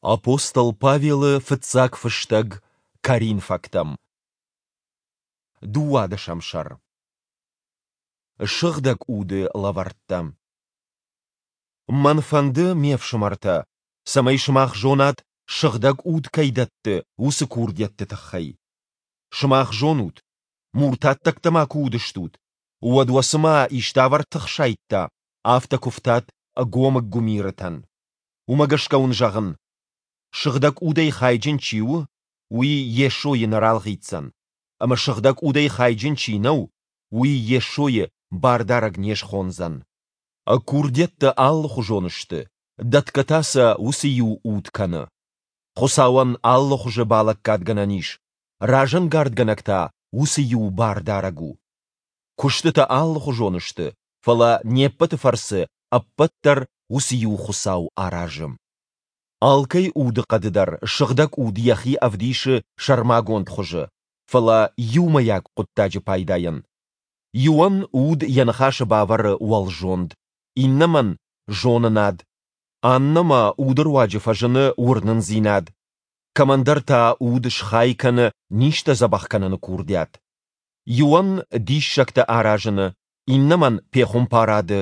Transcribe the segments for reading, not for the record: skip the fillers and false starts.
Апостол Павелы фыццаг фыстӕг Коринфӕгтӕм. Дыууадӕсӕм сӕр. Сыгъдӕг Уды лӕвӕрттӕ. Мӕн фӕнды, ме фсымӕртӕ, цӕмӕй сымах зонат, Сыгъдӕг Уд кӕй дӕтты, уыцы курдиӕтты тыххӕй. Сымах зонут, муртаттӕгтӕ ма куы уыдыстут, уӕд уӕ цыма иставӕр тых сайдта, афтӕ куывтат ӕгомыг гуымирытӕн. Уымӕ гӕсгӕ уын зӕгъын: Сыгъдӕг Удӕй хайджын чи у, уый Йесойы нӕ ралгъитдзӕн, ӕмӕ Сыгъдӕг Удӕй хайджын чи нӕу, уый Йесойы Бардарӕг не схондзӕн. Курдиӕттӕ алыхуызон сты, дӕтгӕ та сӕ уыцы иу Уд кӕны. Хуыцауӕн алы хуызы балӕггадгӕнӕн ис, разӕнгардгӕнӕг та уыцы иу Бардарӕг у. Куыстытӕ алыхуызон сты, фӕлӕ не ппӕты фӕрцы ӕппӕт дӕр уыцы иу Хуыцау аразы. Алкӕй удыхъӕды дӕр Сыгъдӕг Уд йӕхи ӕвдисы сӕрмагонд хуызы, фӕлӕ иумӕйаг хъуыддаджы пайдайӕн. Иуӕн уд йӕ ныхасы бавӕры уӕлзонд, иннӕмӕн – зонынад, аннӕмӕ уды руаджы фӕзыны уырнындзинад, кӕмӕндӕр та уд схай кӕны низтӕ дзӕбӕх кӕныны курдиат. Иуӕн диссӕгтӕ аразыны, иннӕмӕн пехуымпарады,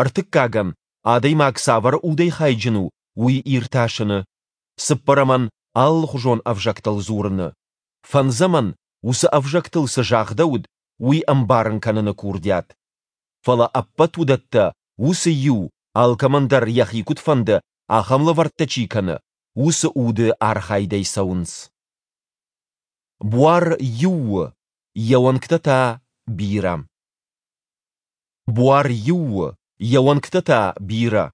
ӕртыккагӕн, адӕймаг цавӕр удӕй хайджын у, уый иртасыны, цыппӕрӕмӕн алыхуызон ӕвзӕгтыл дзурыны, фӕндзӕмӕн, уыцы ӕвзӕгтыл цы загъдӕуыд, уый ӕмбарын кӕныны курдиат. Фӕлӕ ӕппӕт уыдӕттӕ уыцы иу, алкӕмӕн дӕр йӕхи куыд фӕнды, ахӕм лӕвӕрттӕ чи кӕны, уыцы уды архайдӕй цӕуынц. Буар иу у, йӕ уӕнгтӕ та бирӕ. Буар иу у, йӕ уӕнгтӕ та бирӕ.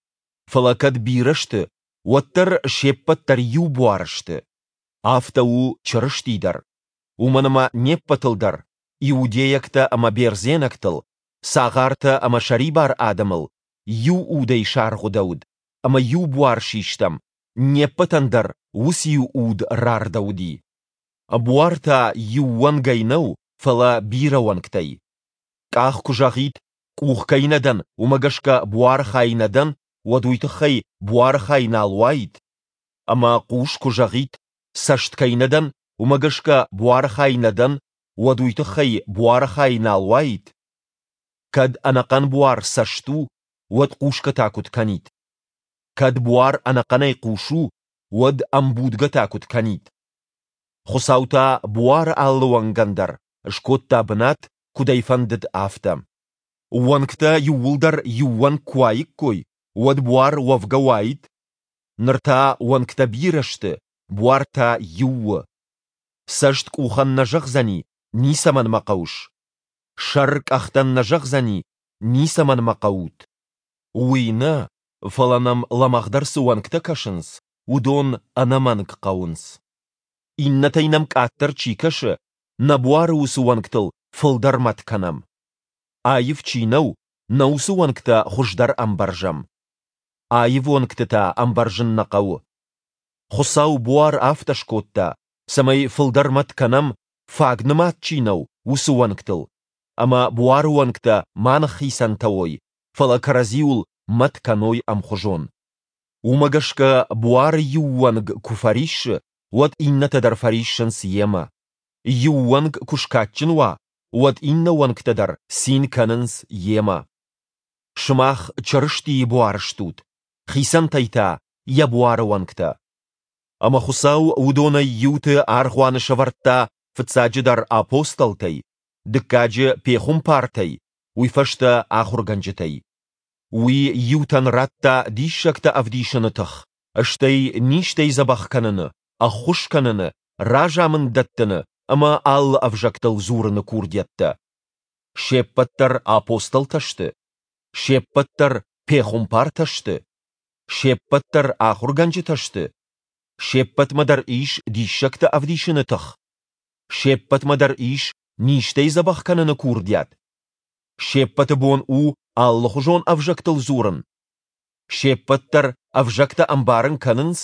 Фӕлӕ кӕд бирӕ сты, уӕддӕр се ппӕт дӕр иу буар сты. Афтӕ у Чырысти дӕр. Уымӕн ӕмӕ не ппӕтыл дӕр, иудейӕгтӕ ӕмӕ бердзенӕгтыл, цагъартӕ ӕмӕ сӕрибар адӕмыл, иу удӕй саргъуыдӕуыд ӕмӕ иу буар систӕм, не ппӕтӕн дӕр уыциу уд рардӕуыди. Буар та иу уӕнгӕй нӕу, фӕлӕ бирӕ уӕнгтӕй. Къах куы зӕгъид, къух кӕй нӕ дӕн, уымӕ гӕсгӕ буары хай нӕ дӕн, уӕд уый тыххӕй буары хай нал уаид? Ӕмӕ хъус куы зӕгъид, цӕст кӕй нӕ дӕн, уымӕ гӕсгӕ буары хай нӕ дӕн, уӕд уый тыххӕй буары хай нал уаид? Кӕд ӕнӕхъӕн буар цӕст у, уӕд хъусгӕ та куыд кӕнид? Кӕд буар ӕнӕхъӕнӕй хъус у, уӕд ӕмбудгӕ та куыд кӕнид? Хуыцау та буары алы уӕнгӕн дӕр скодта бынат, куыд ӕй фӕндыд, афтӕ. Уӕнгтӕ иууылдӕр иу уӕнг куы уаиккой, уӕд буар уӕвгӕ уаид? Ныр та уӕнгтӕ бирӕ сты, буар та иу у. Цӕст къухӕн нӕ зӕгъдзӕни, ницӕмӕн мӕ хъӕуыс. Сӕр къӕхтӕн нӕ зӕгъдзӕни, ницӕмӕн мӕ хъӕут. Уый нӕ, фӕлӕ нӕм лӕмӕгъдӕр цы уӕнгтӕ кӕсынц, уыдон ӕнӕмӕнг хъӕуынц. Иннӕтӕй нӕм къаддӕр чи кӕсы, нӕ буары уыцы уӕнгтыл фылдӕр мӕт кӕнӕм. Аив чи нӕу, нӕ уыцы уӕнгтӕ хуыздӕр ӕмбӕрзӕм. Аив уӕнгты та ӕмбӕрзын нӕ хъӕуы. Хуыцау буар афтӕ скодта, цӕмӕй фылдӕр мӕт кӕнӕм, фаг нымад чи нӕу, уыцы уӕнгтыл, ӕмӕ буары уӕнгтӕ ма ныххицӕнтӕ уой, фӕлӕ кӕрӕдзиуыл мӕт кӕной ӕмхуызон. Уымӕ гӕсгӕ буары иу уӕнг куы фӕриссы, уӕд иннӕтӕ дӕр фӕриссынц йемӕ. Иу уӕнг куы скадджын уа, уӕд иннӕ уӕнгтӕ дӕр цин кӕнынц йемӕ. Сымах Чырыстийы буар стут, хицӕнтӕй та йӕ буары уӕнгтӕ. Ӕмӕ Хуыцау уыдонӕй иуты аргъуаны сӕвӕрдта фыццаджыдӕр апостолтӕй, дыккаджы пехуымпартӕй, уый фӕстӕ ахуыргӕнджытӕй. Уый иутӕн радта диссӕгтӕ ӕвдисыны тых, стӕй низтӕй дзӕбӕх кӕныны, ӕххуыс кӕныны, разамынд дӕттыны ӕмӕ алы ӕвзӕгтыл дзурыны курдиӕттӕ. Се ппӕт дӕр апостолтӕ сты? Се ппӕт дӕр пехуымпартӕ сты? Се ппӕт дӕр ахуыргӕнджытӕ сты? Се ппӕтмӕ дӕр ис диссӕгтӕ ӕвдисыны тых? Се ппӕтмӕ дӕр ис низтӕй дзӕбӕх кӕныны курдиат? Се ппӕты бон у алыхуызон ӕвзӕгтыл дзурын? Се ппӕт дӕр ӕвзӕгтӕ ӕмбарын кӕнынц?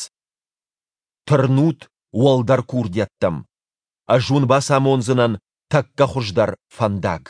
Тырнут уӕлдӕр курдиӕттӕм. Ӕз уын бацамондзынӕн тӕккӕ хуыздӕр фӕндаг.